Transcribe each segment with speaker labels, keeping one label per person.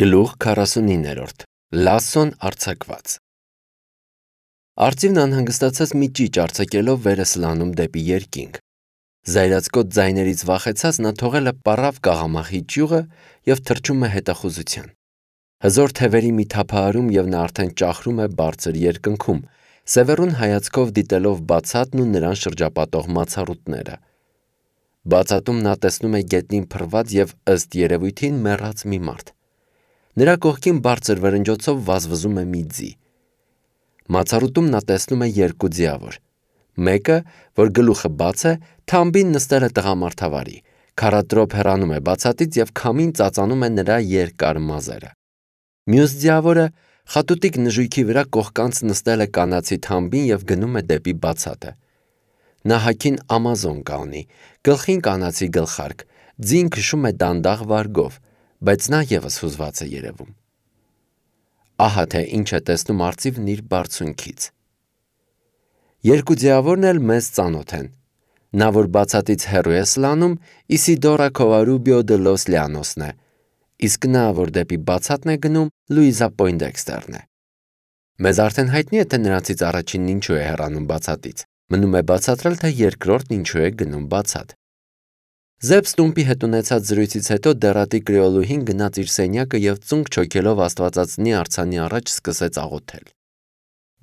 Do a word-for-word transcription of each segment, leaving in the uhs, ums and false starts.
Speaker 1: Գլուխ քառասունիններորդ Լասսոն արձակված Արծիվն անհանգստացած մի ճիճ արձակելով վեր է սլանում դեպի երկինք։ Զայրացկոտ ձայներից վախեցած նա թողել է պառավ կաղամախի ճյուղը և թռչում է հետախուզության։ Հզոր թևերի մի թափահարում և նա արդեն ճախրում է բարձր երկնքում, սևեռուն հայացքով դիտելով բացատն ու նրան շրջապատող մացառուտները։ Բացատում նա տեսնում է գետնին փռված և ըստ երևույթին մեռած մի մարդ։ Նրա կողքին բարձր վրնջոցով վազվզում է մի ձի։ Մացառուտում նա տեսնում է երկու ձիավոր։ Մեկը, որ գլուխը բաց է, թամբին նստել է տղամարդավարի, քառատրոփ հեռանում է բացատից և քամին ծածանում է նրա երկար մազերը։ Մյուս ձիավորը խատուտիկ նժույգի վրա կողկանց նստել է կանացի թամբին և գնում է դեպի բացատը։ Նա հագին ամազոնկա ունի, գլխին կանացի գլխարկ, ձին քշում է դանդաղ վարգով, բայց նա ևս հուզված է երևում։ Ահա թե ինչ է տեսնում արծիվն իր բարձունքից։ Երկու ձիավորն էլ մեզ ծանոթ են։ Նա, որ բացատից հեռու է սլանում, Իսիդորա Քովարուբիո դե լոս Լիանոսն է, իսկ նա, որ դեպի բացատն է գնում, Լուիզա Պոյնդեքստերն է։ Մեզ արդեն հայտնի է, թե նրանցից առաջինն ինչու է հեռանում բացատից։ Մնում է բացատրել, թե երկրորդն ինչու է գնում բացատ։ Զեբ Ստումպի հետ ունեցած զրույցից հետո դեռատի կրեոլուհին գնաց իր սենյակը և ծունկ չոքելով աստվածածնի արձանի առաջ սկսեց աղոթել։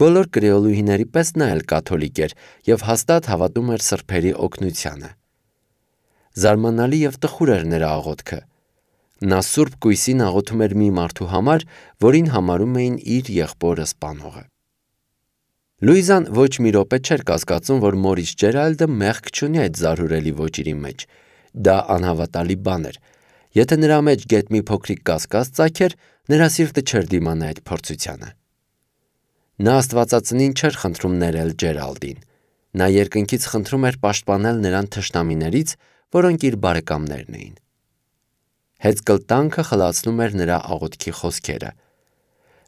Speaker 1: Բոլոր կրեոլուհիների պես նա էլ կաթոլիկ էր և հաստատ հավատում էր սրբերի օգնությանը։ Զարմանալի և տխուր էր նրա աղոթքը։ Նա սուրբ կույսին աղոթում էր մի մարդու համար, որին համարում էին իր եղբորը սպանողը։ Լուիզան ոչ մի րոպե չէր կասկածում, որ Մորիս Ջերալդը մեղք չունի այդ զարհուրելի ոճիրի մեջ։ Դա անհավատալի բան էր։ Եթե նրա մեջ գեթ մի փոքրիկ կասկած ծագեր, նրա սիրտը չէր դիմանա այդ փորձությանը։ Նա աստվածածնին չէր խնդրում ներել Ջերալդին։ Նա երկնքից խնդրում էր պաշտպանել նրան թշնամիներից, որոնք իր բարեկամներն էին։ Հեծկլտանքը խլացնում էր նրա աղոթքի խոսքերը։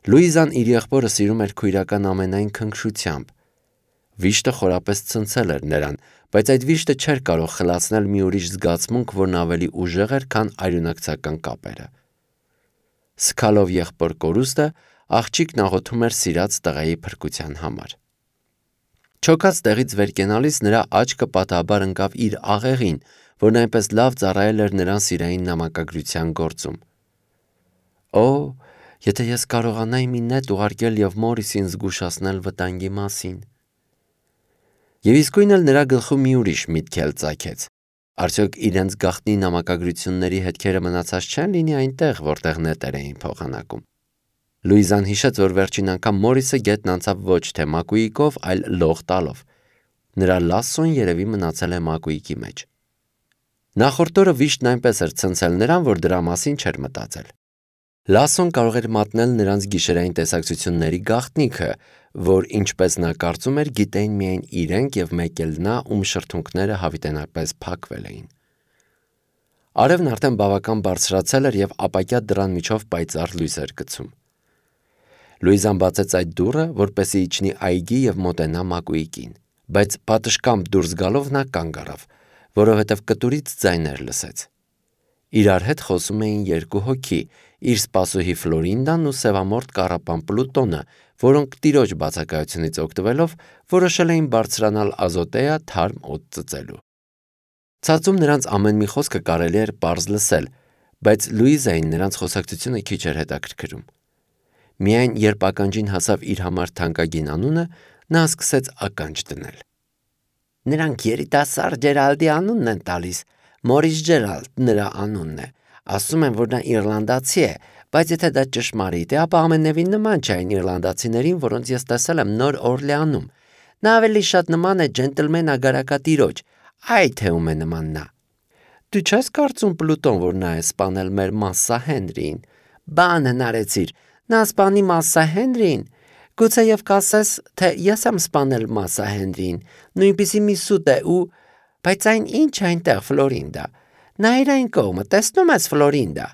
Speaker 1: Լուիզան իր եղբորը սիրում էր քույրական ամենայն քնքշությամբ։ Վիշտը խորապես ցնցել էր նրան, բայց այդ վիշտը չէր կարող խլացնել մի ուրիշ զգացմունք, որն ավելի ուժեղ էր, քան արյունակցական կապերը։ Սգալով եղբոր կորուստը, աղջիկն աղոթում էր սիրած տղայի փրկության համար։ Չոքած տեղից վեր կենալիս նրա աչքը պատահաբար ընկավ իր աղեղին, որն այնպես լավ ծառայել էր նրան սիրային նամակագրության գործում։ Օ, եթե ես կարողանայի մի նետ ուղարկել և Մորիսին զգուշացնել վտանգի մասին։ Եվ իսկույն էլ նրա գլխում մի ուրիշ միտք էլ ծագեց։ Արդյոք իրենց գաղտնի նամակագրությունների հետքերը մնացած չեն լինի այնտեղ, որտեղ նետեր էին փոխանակում։ Լուիզան հիշեց, որ վերջին անգամ Մորիսը գետն անցավ ոչ թե մակույիկով, այլ լող տալով։ Նրա Լասսոն երևի մնացել է մակույիկի մեջ։ Նախորդ օրը վիշտն այնպես էր ցնցել նրան, որ դրա մասին չէր մտածել։ Լասսոն կարող էր մատնել նրանց գիշերային տեսակցությունների գաղտնիքը, որ, ինչպես նա կարծում էր, գիտեին միայն իրենք և մեկ էլ նա, ում շրթունքները հավիտենապես փակվել էին։ Արևն արդեն բավական բարձրացել էր և ապակյա դռան միջով պայծառ լույս էր գցում։ Լուիզան բացեց այդ դուռը, որպեսզի իջնի այգի և մոտենա մակույիկին, բայց պատշգամբ դուրս գալով նա կանգ առավ, որովհետև կտուրից ձայներ լսեց։ Իրար հետ խոսում էին երկու հոգի՝ իր սպասուհի Ֆլորինդան ու սևամորթ կառապան Պլուտոնը, որոնք տիրոջ բացակայությունից օգտվելով որոշել էին բարձրանալ Ազոտեա թարմ օդ ծծելու։ Ցածում նրանց ամեն մի խոսքը կարելի էր պարզ լսել, բայց Լուիզային նրանց խոսակցությունը քիչ էր հետաքրքրում։ Միայն երբ ականջին հասավ իր համար թանկագին անունը, նա սկսեց ականջ դնել։ Նրանք երիտասարդ Ջերալդի անունն են տալիս, Մորիս Ջերալդ նրա անունն է։ Ասում են, որ նա իռլանդացի է, բայց եթե դա ճշմարիտ է, ապա ամենևին նման չէ այն իռլանդացիներին, որոնց ես տեսել եմ Նոր Օրլեանում։ Նա ավելի շատ նման է ջենտլմեն ագարակատիրոջ, այ թե ում է նման նա։ Դու չես կարծում, Պլուտոն, որ նա է սպանել մեր Մասսա Հենրիին։ Բան հնարեցիր, նա սպանի Մասսա Հենրիին։ Գուցեև կասես, թե ես եմ սպանել Մասսա Հենրիին, նույնպիսի մի սուտ է ու… Բայց այն ինչ է այնտեղ, Ֆլորինդա։ Նայիր այն կողմը, տեսնում ես, Ֆլորինդա։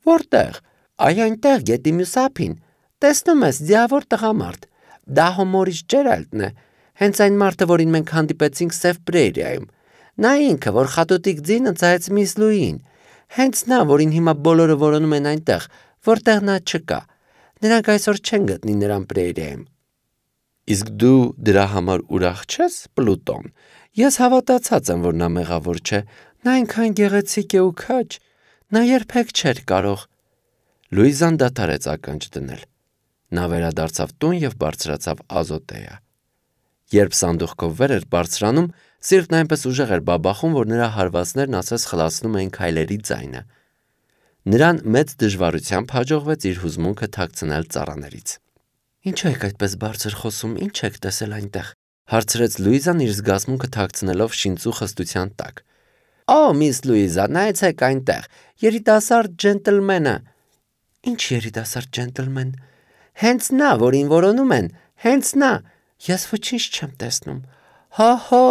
Speaker 1: Որտեղ։ Այ այնտեղ գետի մյուս ափին։ Տեսնում ես, ձիավոր տղամարդ։ Դա հո Մորիս Ջերալդն է, հենց այն մարդը, որին մենք հանդիպեցինք Սև Պրերիայում։ Նա ինքը, որ խատուտիկ ձին ընծայեց միս Լուիին։ Հենց նա, որին հիմա բոլորը որոնում են այնտեղ, որտեղ նա չկա։ Նրանք այսօր չեն գտնի նրան Պրեյրիայում։ Իսկ դու դրա համար ուրախ չես, Պլուտոն։ Ես հավատացած եմ, որ նա մեղավոր չէ։ Նա այնքան գեղեցիկ է ու քաջ։ Նա երբեք չէր կարող։ Լուիզան դադարեց ականջ դնել։ Նա վերադարձավ տուն և բարձրացավ Ազոտեա։ Երբ սանդուղքով վեր էր բարձրանում, սիրտն այնպես ուժեղ էր բաբախում, որ նրա հարվածներն ասես խլացնում էին քայլերի ձայնը։ Նրան մեծ դժվարությամբ հաջողվեց իր հուզմունքը թաքցնել ծառաներից։ Ինչու եք այդպես բարձր խոսում, ինչ եք տեսել այնտեղ, հարցրեց Լուիզան իր զգացմունքը թաքցնելով շինծու խստության տակ։ Օ, միս Լուիզա, նայեցեք այնտեղ, երիտասարդ ջենտլմենը։ Ինչ երիտասարդ ջենտլմեն։ Հենց նա, որին որոնում են, հենց նա։ Ես ոչինչ չեմ տեսնում։ Հո, հո,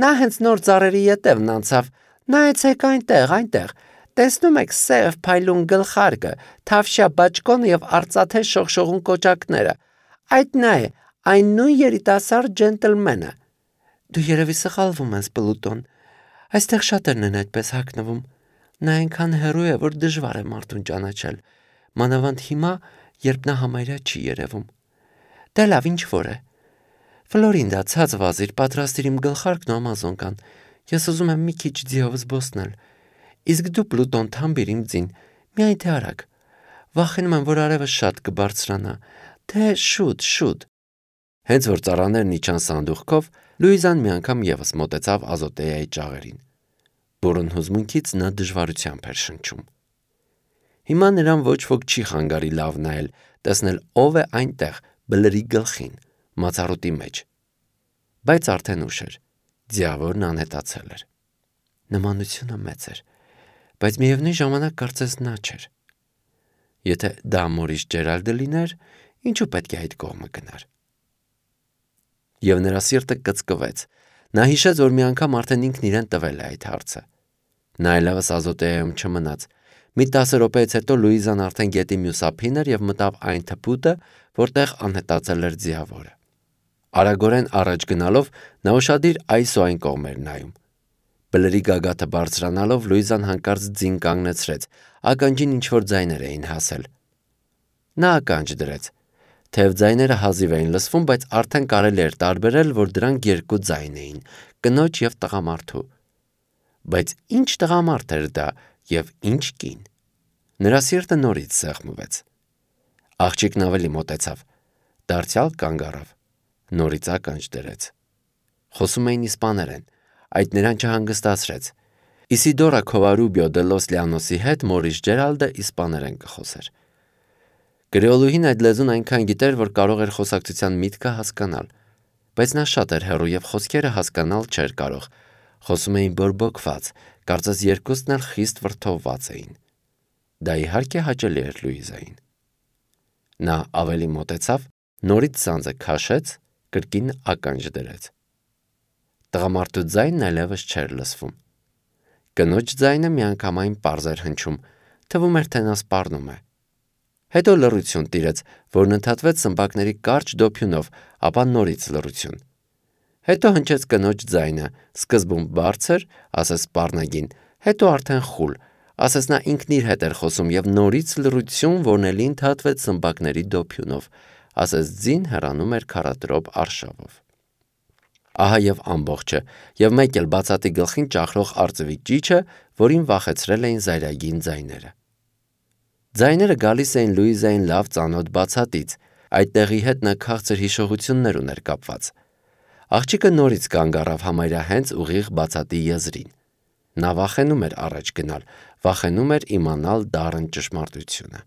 Speaker 1: նա հենց նոր ծառերի ետևն անցավ։ Նայեցեք այնտեղ, այնտեղ։ Տեսնում եք սև փայլուն գլխարկը, թավշյա բաճկոնը և արծաթե շողշողուն կոճակները։ Այդ նա է, այն նույն երիտասարդ ջենտլմենը։ Դու երևի սխալվում ես, Պլուտոն։ Այստեղ շատերն են այդպես հագնվում։ Նա այնքան հեռու է, որ դժվար է մարդուն ճանաչել։ Մանավանդ հիմա, երբ նա համարյա չի երևում։ Դե լավ, ինչ որ է։ Ֆլորինդա, ցած վազիր, պատրաստիր իմ գլխարկն ու ամազոնկան։ Ես ուզում եմ մի քիչ ձիով զբոսնել։ Իսկ դու, Պլուտոն, թամբիր իմ ձին, միայն թե արագ։ Վախենում եմ, որ արևը շատ կբարձրանա։ Թե շուտ, շուտ։ Հենց որ ծառաներն իջան սանդուղքով, Լուիզան մի անգամ ևս մոտեցավ Ազոտեայի ճաղերին։ Բուռն հուզմունքից նա դժվարությամբ էր շնչում։ Հիմա նրան ոչ ոք չի խանգարի լավ նայել, տեսնել ով է այնտեղ, բլրի գլխին, մացառուտի մեջ։ Բայց արդեն ուշ էր, ձիավորն անհետացել էր։ Նմանությունը մեծ էր, բայց միևնույն ժամանակ կարծես նա չէր։ Եթե դա Մորիս Ջերալդը լիներ, ինչու պետք է այդ կողմը գնար։ Եվ նրա սիրտը կծկվեց։ Նա հիշեց, որ մի անգամ արդեն ինքն իրեն տվել է այդ հարցը։ Նա այլևս Ազոտեայում չմնաց։ Մի տասը րոպեից հետո Լուիզան արդեն գետի մյուս ափին էր և մտավ այն թփուտը, որտեղ անհետացել էր ձիավորը։ Արագորեն առաջ գնալով նա ուշադիր այս ու այն կողմ էր նայում։ Բլրի գագաթը բարձրանալով Լուիզան հանկարծ ձին կանգնեցրեց, ականջին ինչ-որ ձայներ էին հասել։ Նա ականջ դրեց։ Թեև ձայները հազիվ էին լսվում, բայց արդեն կարելի էր տարբերել, որ դրանք երկու ձայն էին՝ կնոջ և տղամարդու։ Բայց ինչ տղամարդ էր դա և ինչ կին։ Նրա սիրտը նորից սեղմվեց։ Աղջիկն ավելի մոտեցավ, դարձյալ կանգ առավ, նորից ականջ դրեց։ Խոսում էին իսպաներեն, այդ նրան չհանգստացրեց։ Իսիդորա Քովարուբիո դե Լոս Լիանոսի հետ Մորիս Ջերալդը իսպաներեն կխոսեր։ Կրեոլուհին այդ լեզուն այնքան գիտեր, որ կարող էր խոսակցության միտքը հասկանալ, բայց նա շատ էր հեռու և խոսքերը հասկանալ չէր կարող։ Խոսում էին բորբոքված, կարծես երկուսն էլ խիստ վրդովված էին։ Դա իհարկե հաճելի էր Լուիզային։ Նա ավելի մոտեցավ, նորից ցանցը քաշեց, կրկին ականջ դրեց։ Տղամարդու ձայնն այլևս չէր լսվում։ Կնոջ ձայնը միանգամայն պարզ էր հնչում, թվում էր, թե նա սպառնում է։ Հետո լռություն տիրեց, որն ընդհատվեց սմբակների կարճ դոփյունով, ապա նորից լռություն։ Հետո հնչեց կնոջ ձայնը, սկզբում բարձր, ասես սպառնագին, հետո արդեն խուլ, ասես նա ինքն իր հետ էր խոսում և նորից լռություն, որն էլի ընդհատվեց սմբակների դոփյունով, ասես ձին հեռանում էր քառատրոփ արշավով։ Ահա և ամբողջը, և մեկ էլ բացատի գլխին ճախրող արծվի ճիչը, որին վախեցրել էին զայրագին ձայները։ Ձայները գալիս էին Լուիզային լավ ծանոթ բացատից, այդ տեղի հետ նա քաղցր հիշողություններ ուներ կապված։ Աղջիկը նորից կանգ առավ համարյա հենց ուղիղ բացատի եզրին։ Նա վախենում էր առաջ գնալ, վախենում էր իմանալ դառն ճշմարտությունը։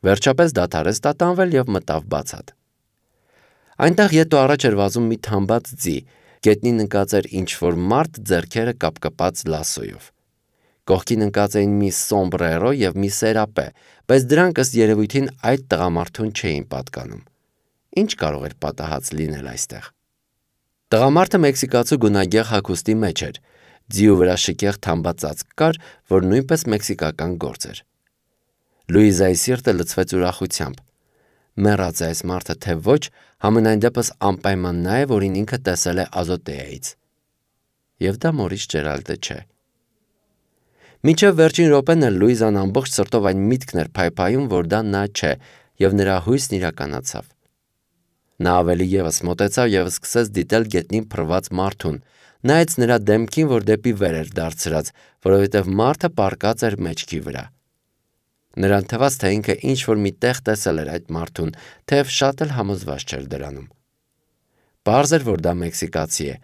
Speaker 1: Վերջապես դադարեց տատանվել և մտավ բացատ։ Այնտեղ ետո առաջ էր վազում մի թամբած ձի, գետնին ընկած էր ինչ-որ մարդ ձեռքերը կապկպած լասոյով։ Կողքին ընկած էին մի սոմբրերո և մի սերապե, բայց դրանք ըստ երևույթին այդ տղամարդուն չէին պատկանում։ Ինչ կարող էր պատահած լինել այստեղ։ Տղամարդը մեքսիկացու գունագեղ հագուստի մեջ էր, ձիու վրա շքեղ թամբած ծածկ կար, որ նույնպես մեքսիկական գործ էր։ Լուիզայի սիրտը լցվեց ուրախությամբ։ Մեռած է այս մարդը, թե ոչ, համենայն դեպս անպայման նա է, որին ինքը տեսել է Ազոտեայից։ Եվ դա Մորիս Ջերալդը չէ։ Մինչև վերջին րոպեն էլ Լուիզան ամբողջ սրտով այն միտքն էր փայփայում, որ դա նա չէ, եւ նրա հույսն իրականացավ։ Նա ավելի ևս մոտեցավ եւ սկսեց դիտել գետնին փռված մարդուն, նայեց նրա դեմքին, որ դեպի վեր էր դարձրած, որովհետեւ մարդը պառկած էր մեջքի վրա։ Նրան թվաց, թե ինքը ինչ-որ մի տեղ տեսել էր այդ մարդուն, թեև շատ էլ համոզված չէր դրանում։ Պարզ էր, որ դա մեքսիկացի է,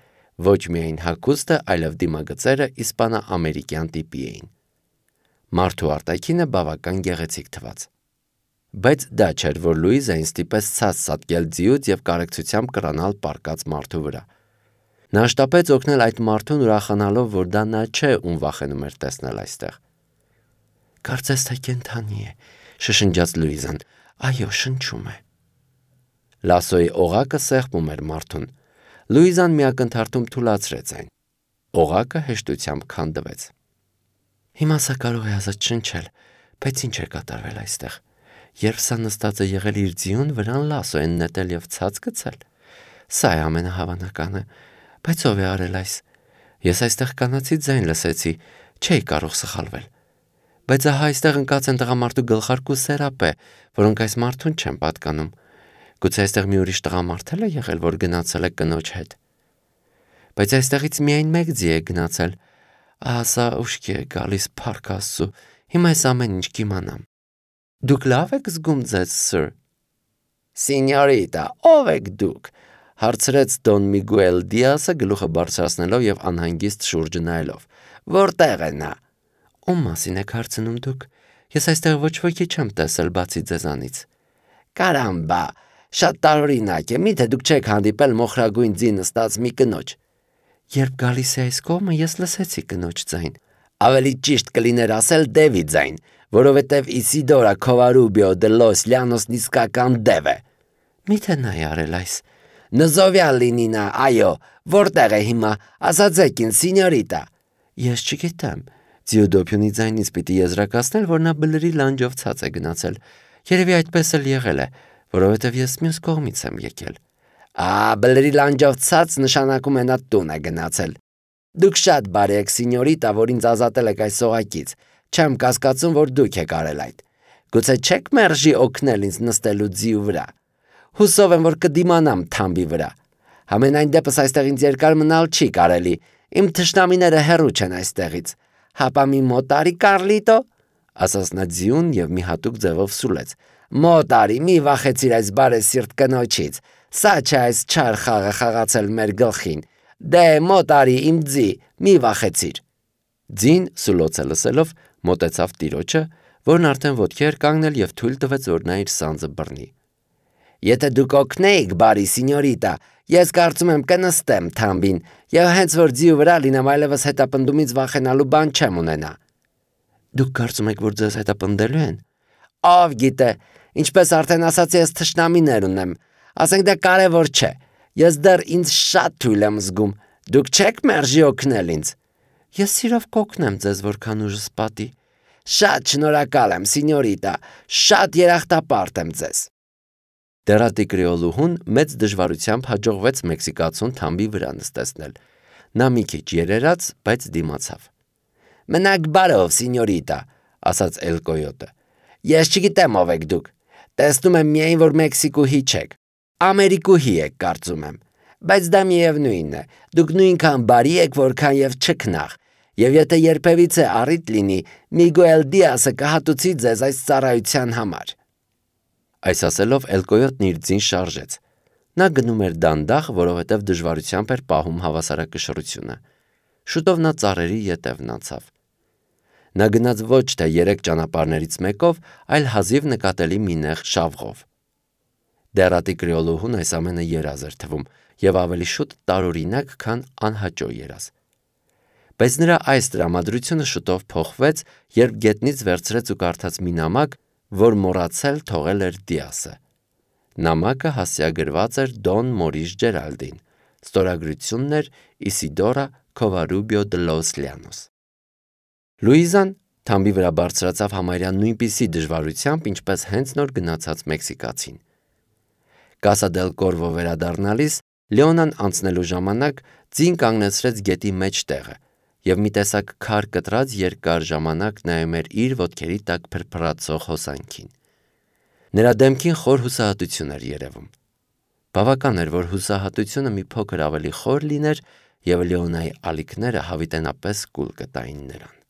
Speaker 1: ոչ միայն հագուստը, այլև դիմագծերը իսպանա-ամերիկյան տիպի էին։ Մարդու արտաքինը բավական գեղեցիկ թվաց։ Բայց դա չէր, որ Լուիզային ստիպեց ցած սատկել ձիուց եւ կարեկցությամբ կրանալ պառկած մարդու վրա։ Նա շտապեց օգնել այդ մարդուն, ուրախանալով, որ դա նա չէ, ում վախենում էր տեսնել այստեղ։ Կարծես թե կենդանի է, շշնջաց Լուիզան։ Այո, շնչում է։ Լասոյի օղակը սեղմում էր մարդուն։ Լուիզան միակնթարթում թուլացրեց այն։ Օղակը հեշտությամբ քանդվեց։ Հիմա սա կարող է ազատ շնչել, բայց ինչ է կատարվել այստեղ։ Երբ սա նստած է եղել իր ձիուն, վրան Լասոյեն նետել եւ ցած գցել։ Սա է ամենահավանականը, բայց ով է արել այս։ Ես այստեղ կանացի ձայն լսեցի, չէի կարող սխալվել։ Բայց ահա այստեղ ընկած են տղամարդու գլխարկու սերապե, որոնք այս մարդուն չեն պատկանում։ Գուցե այստեղ մի ուրիշ տղամարդ է եղել, որ գնացել է կնոջ հետ։ Բայց այստեղից միայն մեկ ձի է գնացել։ Ահա սա ուշքի է գալիս, փառք Աստծո։ Հիմա այս ամեն ինչ կիմանամ։ Դուք լավ եք զգում ձեզ, սըր։ Սինյորիտա, ով եք դուք, հարցրեց Դոն Միգուել Դիասը գլուխը բարձրացնելով եւ անհանգիստ շուրջը նայելով։ Որտեղ է նա։ Ում մասին եք հարցնում դուք։ Ես այստեղ ոչ ոքի չեմ տեսել բացի ձեզանից։ Կարամբա, շատ տարօրինակ է, միթե դուք չեք հանդիպել մոխրագույն ձի նստած մի կնոջ։ Երբ գալիս է այս կողմը, ես լսեցի կնոջ ձայն։ Ավելի ճիշտ կլիներ ասել Դևի ձայն, որովհետև Իսիդորա Քովարուբիո դե լոս Լյանոսն իսկական դև է։ Միթե նա է արել այս։ Նզովյալ լինի նա, այո, որտեղ է հիմա, ասացեք ինձ, սինյորիտա։ Ես չգիտեմ։ Ձիուդոփյունի ձայնից պիտի եզրակացնել, որ նա բլրի լանջով ցած է գնացել։ Երևի այդպես էլ եղել է, որովհետև ես մյուս կողմից եմ եկել։ Ա, բլրի լանջով ցած նշանակում է նա տուն է գնացել։ Դուք շատ բարի եք, սինյորիտա, որ ինձ ազատել եք այս սողակից։ Չեմ կասկածում, որ դուք եք արել այդ։ Գուցե չեք մերժի օգնել ինձ նստելու ձիու վրա։ Հուսով եմ, որ կդիմանամ թամբի վրա։ Համենայն դեպս այստեղ ինձ երկար մնալ չի կարելի։ Իմ թշնամիները հեռու չեն այստեղից։ Հապա մի մոտարի Կարլիտո, ասաց նա ձիուն եւ մի հատուկ ձևով սուլեց։ Մոտարի, մի վախեցիր այս բարեսիրտ կնոջից։ Սա չէ այս չար խաղը խաղացել մեր գլխին։ Դե մոտարի իմ ձի, մի վախեցիր։ Ձին սուլոցը լսելով մոտեցավ տիրոջը, որն արդեն ոտքի էր կանգնել եւ թույլ տվեց, որ նա իր սանձը բռնի։ Եթե դուք օգնեիք, բարի սինյորիտա, ես կարծում եմ կնստեմ թամբին եւ հենց որ ձիու վրա լինեմ, այլևս հետապնդումից վախենալու բան չեմ ունենա։ Դուք կարծում եք, որ ձեզ հետապնդելու են։ Ով գիտե, ինչպես արդեն ասացի, ես թշնամիներ ունեմ։ Ասենք դա կարևոր չէ։ Ես դեռ ինձ շատ թույլ եմ զգում։ Դուք չեք մերժի օգնել ինձ։ Ես սիրով կօգնեմ ձեզ, որքան ուժս պատի։ Շատ շնորհակալ եմ, սինյորիտա, շատ երախտապարտ եմ ձեզ։ Դերատի կրեոլուհուն մեծ դժվարությամբ հաջողվեց մեքսիկացուն թամբի վրա նստեցնել։ Նա մի քիչ երերաց, բայց դիմացավ։ Մնաք բարով, սինյորիտա, ասաց Էլ Կոյոտը։ Ես չգիտեմ ով եք դուք։ Տեսնում եմ միայն, որ Մեքսիկուհի չեք։ Ամերիկուհի եք, կարծում եմ։ Բայց դա միևնույնն է։ Դուք նույնքան բարի եք, որքան եւ չքնաղ։ Եվ եթե երբևիցե առիթ լինի, Միգուել Դիասը կհատուցի ձեզ այս ծառայության համար։ Այս ասելով Էլ Կոյոտն իր ձին շարժեց։ Նա գնում էր դանդաղ, որովհետև դժվարությամբ էր պահում հավասարակշռությունը։ Շուտով նա ծառերի ետևն անցավ։ Նա գնաց ոչ թե երեք ճանապարհներից մեկով, այլ հազիվ նկատելի մի նեղ շավղով։ Դերատի կրեոլուհուն այս ամենը երազ էր թվում եւ ավելի շուտ տարօրինակ, քան անհաճո երազ։ Բայց նրա այս տրամադրությունը շուտով փոխվեց, երբ գետնից վերցրեց ու կարդաց մի նամակ, որ մոռացել թողել էր Դիասը։ Նամակը հասցեագրված էր Դոն Մորիս Ջերալդին, ստորագրությունն էր Իսիդորա Քովարուբիո դե լոս Լյանոս։ Լուիզան թամբի վրա բարձրացավ համարյա նույնպիսի դժվարությամբ, ինչպես հենց նոր գնացած մեքսիկացին։ Կասա դել Կորվո վերադառնալիս Լեոնան անցնելու ժամանակ ձին կանգնեցրեց գետի մեջտեղը և մի տեսակ քար կտրած երկար ժամանակ նայում էր իր ոտքերի տակ փրփրացող հոսանքին։ Նրա դեմքին խոր հուսահատություն էր երևում։ Բավական էր, որ հուսահատությունը մի փոքր ավելի խոր լիներ, և Լեոնայի ալիքները հավիտենապես կուլ կտային նրան։